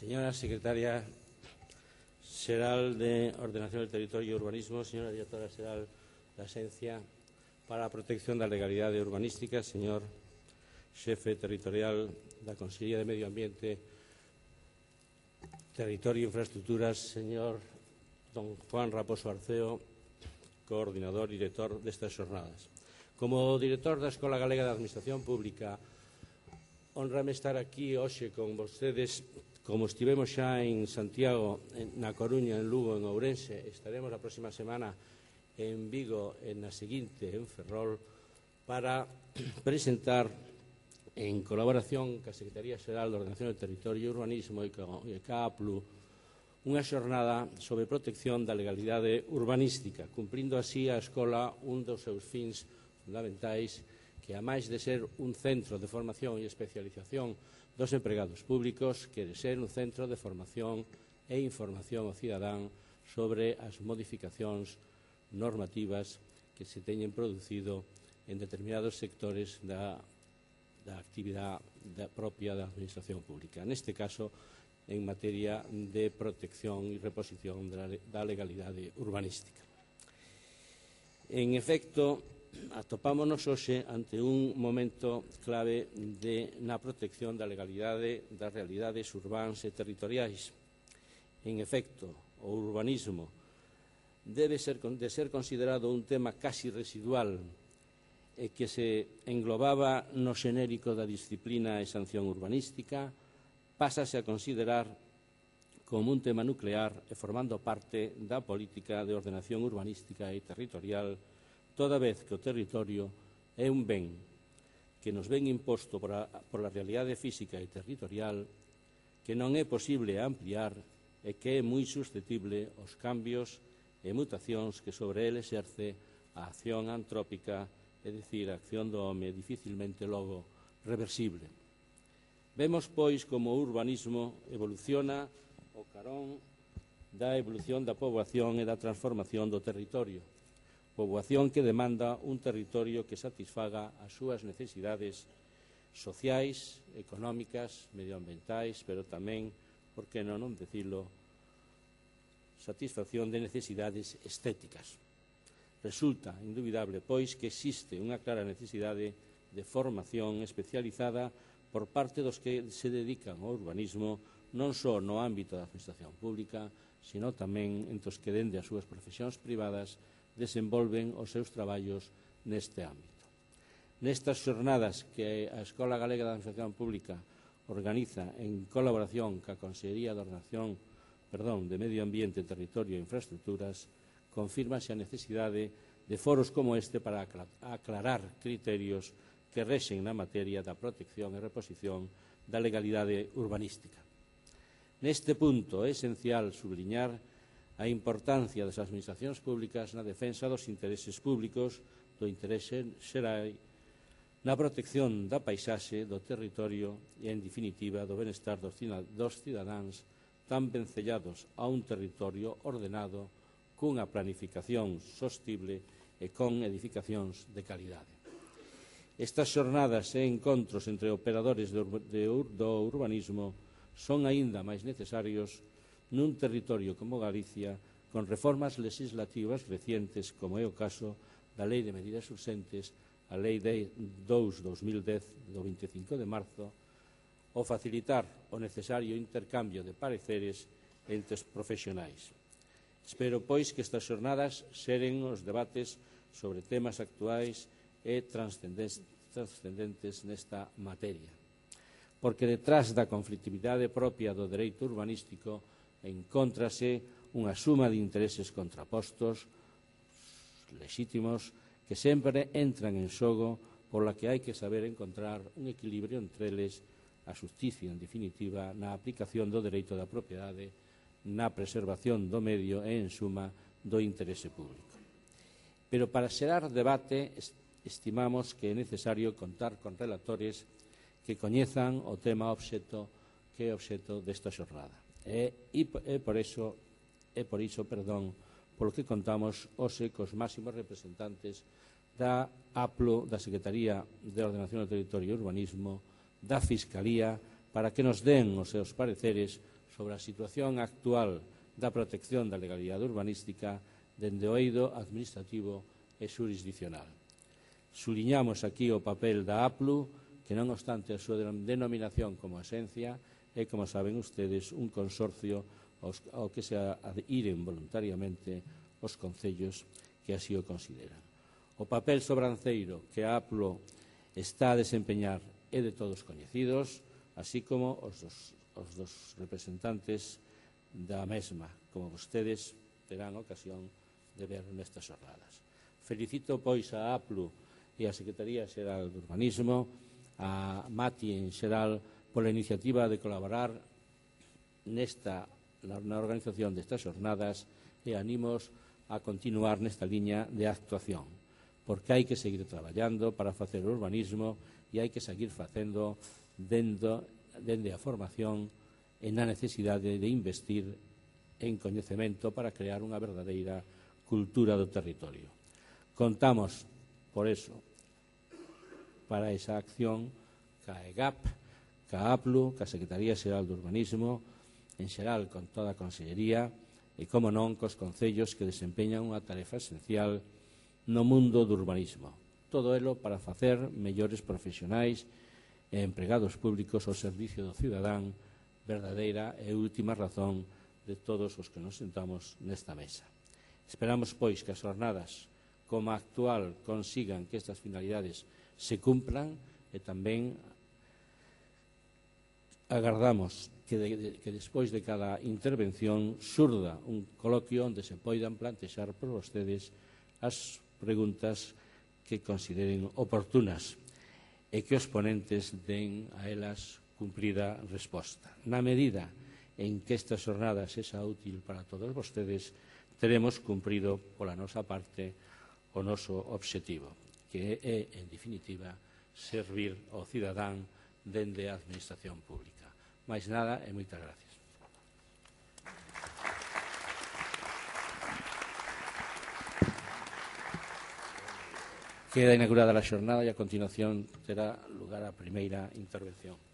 Señora Secretaria Xeral de Ordenación del Territorio e Urbanismo, señora Directora Xeral da Axencia para a Protección da Legalidade Urbanística, señor Xefe Territorial da Consellería de Medio Ambiente, Territorio e Infraestructuras, señor don Juan Raposo Arceo, coordinador e director destas xornadas. Como director da Escola Galega de Administración Pública, honrame estar aquí hoxe con vostedes. Como estivemos xa en Santiago, na Coruña, en Lugo, en Ourense, estaremos a próxima semana en Vigo, en a seguinte, en Ferrol, para presentar, en colaboración ca Secretaría Xeral de Ordenación del Territorio e Urbanismo e ca APLU, unha xornada sobre protección da legalidade urbanística, cumprindo así a Escola un dos seus fins fundamentais, que, a máis de ser un centro de formación e especialización dos empregados públicos, quere ser un centro de formación e información ao cidadán sobre as modificacións normativas que se teñen producido en determinados sectores da actividade propia da Administración Pública. Neste caso, en materia de protección e reposición da legalidade urbanística. En efecto, atopámonos hoxe ante un momento clave na protección da legalidade das realidades urbáns e territoriais. En efecto, o urbanismo debe ser considerado un tema casi residual e que se englobaba no xenérico da disciplina e sanción urbanística, pásase a considerar como un tema nuclear e formando parte da política de ordenación urbanística e territorial, toda vez que o territorio é un ben que nos ven imposto por a realidade física e territorial, que non é posible ampliar e que é moi susceptible aos cambios e mutacións que sobre ele exerce a acción antrópica, é dicir, a acción do home, dificilmente logo reversible. Vemos, pois, como o urbanismo evoluciona ao carón da evolución da poboación e da transformación do territorio. Poboación que demanda un territorio que satisfaga as súas necesidades sociais, económicas, medioambientais, pero tamén, por que non dicilo, satisfacción de necesidades estéticas. Resulta indubidable, pois, que existe unha clara necesidade de formación especializada por parte dos que se dedican ao urbanismo, non só no ámbito da Administración Pública, sino tamén entre os que, dende as súas profesións privadas, desenvolven os seus traballos neste ámbito. Nestas xornadas que a Escola Galega de Administración Pública organiza en colaboración ca Consellería de Ordenación de Medio Ambiente, Territorio e Infraestructuras, confírmase a necesidade de foros como este para aclarar criterios que rexen na materia da protección e reposición da legalidade urbanística. Neste punto é esencial subliñar a importancia das administracións públicas na defensa dos intereses públicos, do interese xeral, na protección da paisaxe, do territorio e, en definitiva, do benestar dos cidadáns tan vencellados a un territorio ordenado cunha planificación sostible e con edificacións de calidade. Estas xornadas e encontros entre operadores do urbanismo son aínda máis necesarios nun territorio como Galicia, con reformas legislativas recientes, como é o caso da Lei de Medidas Urxentes, a Lei 2/2010, do 25 de marzo, o facilitar o necesario intercambio de pareceres entre os profesionais. Espero, pois, que estas xornadas xeren os debates sobre temas actuais e transcendentes nesta materia, porque detrás da conflictividade propia do dereito urbanístico encóntrase unha suma de intereses contrapostos, lexítimos, que sempre entran en xogo, pola que hai que saber encontrar un equilibrio entre eles, a xusticia, en definitiva, na aplicación do dereito da propiedade, na preservación do medio e, en suma, do interese público. Pero para xerar debate, estimamos que é necesario contar con relatores que coñezan o tema que é obxecto desta xornada. É por iso, polo que contamos hoxe cos máximos representantes da APLU, da Secretaría de Ordenación do Territorio e Urbanismo, da Fiscalía, para que nos den os seus pareceres sobre a situación actual da protección da legalidade urbanística dende o eido administrativo e xurisdiccional. Suliñamos aquí o papel da APLU, que non obstante a súa denominación como esencia, é, como saben ustedes, un consorcio ao que se adhiren voluntariamente os concellos que así o consideran. O papel sobranceiro que a APLU está a desempeñar é de todos coñecidos, así como os dos representantes da mesma, como vostedes terán ocasión de ver nestas xornadas. Felicito, pois, a APLU e a Secretaría Xeral de Urbanismo, a MATI en xeral, pola iniciativa de colaborar na organización destas xornadas e animos a continuar nesta liña de actuación, porque hai que seguir traballando para facer urbanismo e hai que seguir facendo dende a formación e na necesidade de investir en coñecemento para crear unha verdadeira cultura do territorio. Contamos, por eso, para esa acción, ca EGAP, ca APLU, ca Secretaría Xeral de Urbanismo, en xeral con toda a Consellería e, como non, cos concellos que desempeñan unha tarefa esencial no mundo do urbanismo. Todo elo para facer mellores profesionais e empregados públicos ao servicio do cidadán, verdadeira e última razón de todos os que nos sentamos nesta mesa. Esperamos, pois, que as xornadas como a actual consigan que estas finalidades se cumplan e tamén agardamos que despois de cada intervención surda un coloquio onde se poidan plantexar por vostedes as preguntas que consideren oportunas e que os ponentes den a elas cumprida resposta. Na medida en que esta xornada sexa útil para todos vostedes, teremos cumprido pola nosa parte o noso obxectivo, que é, en definitiva, servir ao cidadán dende a administración pública. Máis nada e moitas gracias. Queda inaugurada a xornada e a continuación terá lugar a primeira intervención.